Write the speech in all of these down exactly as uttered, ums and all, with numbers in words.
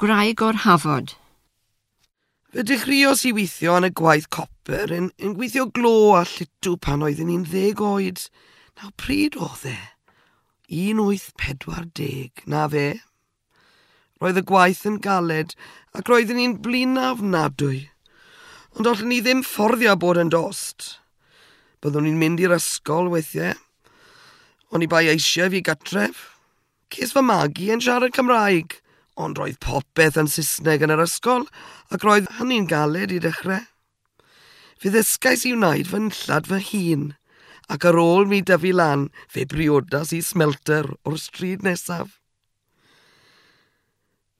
Gwraig o'r Hafod. Fe dechreuos i weithio yn y gwaith copr yn, yn gweithio glo a llutw pan oeddwn i'n ddeg oed. Nawr pryd oedd e? Un wyth pedwar deg, na fe. Roedd y gwaith yn galed ac roeddwn i'n blin ofnadwy. Ond allwn ni ddim fforddio bod yn dost. Byddwn i'n mynd i'r ysgol weithiau. Oni bai eisiau fi gatref. Ces fy magu yn siarad Cymraeg, ond roedd popeth yn Saesneg yn yr ysgol ac roedd hynny'n galed i dechrau. Fe ddysgais i wneud fy nillad fy hun, ac ar ôl mi dyfu lan, fe briodas i smelter o'r stryd nesaf.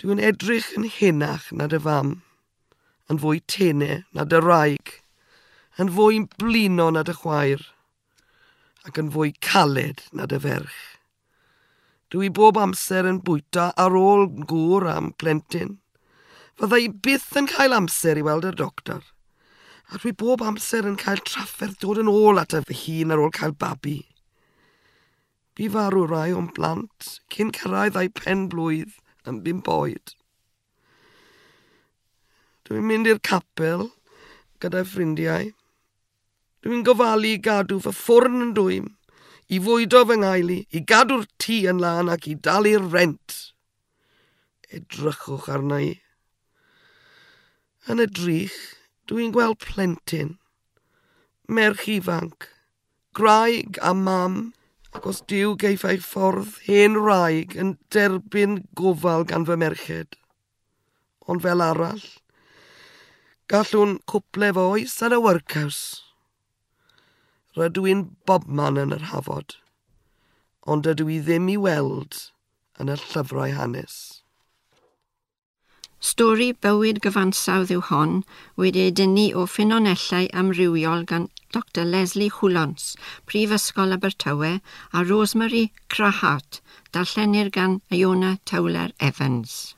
Dwi'n edrych yn henach na dy fam, yn fwy tene na dy wraig, yn fwy blino na dy chwaer, ac yn fwy caled na dy ferch. Dwi bob amser yn bwyta ar ôl gŵr am plentyn. Fydda i byth yn cael amser i weld y doctor. A dwi bob amser yn cael trafferth dod yn ôl at fy hun ar ôl cael babi. Bu farw rai o'n plant cyn cyrraedd eu pen blwydd yn bump oed. Dwi'n mynd i'r capel gyda ffrindiau. Dwi'n gofalu i gadw fy ffwrn yn dwym, i fwydo fy nheulu, i gadw'r tŷ yn lân ac i dalu'r rent. Edrychwch arna i. Yn y drych, dwi'n gweld plentyn, merch ifanc, gwraig a mam, ac os Duw geiff ei ffordd, hen wraig yn derbyn gofal gan fy merched. Ond fel arall, gallwn cwple fy oes yn y workhouse. Rydw i'n bobman yn yr Hafod, ond dydw i ddim i weld yn y llyfrau hanes. Stori bywyd gyfansawdd yw hon wedi ei dynnu o ffynonellau amrywiol gan Doctor Leslie Hwlons, Prifysgol Abertawe, a Rosemary Crahart, darllenir gan Iona Towler Evans.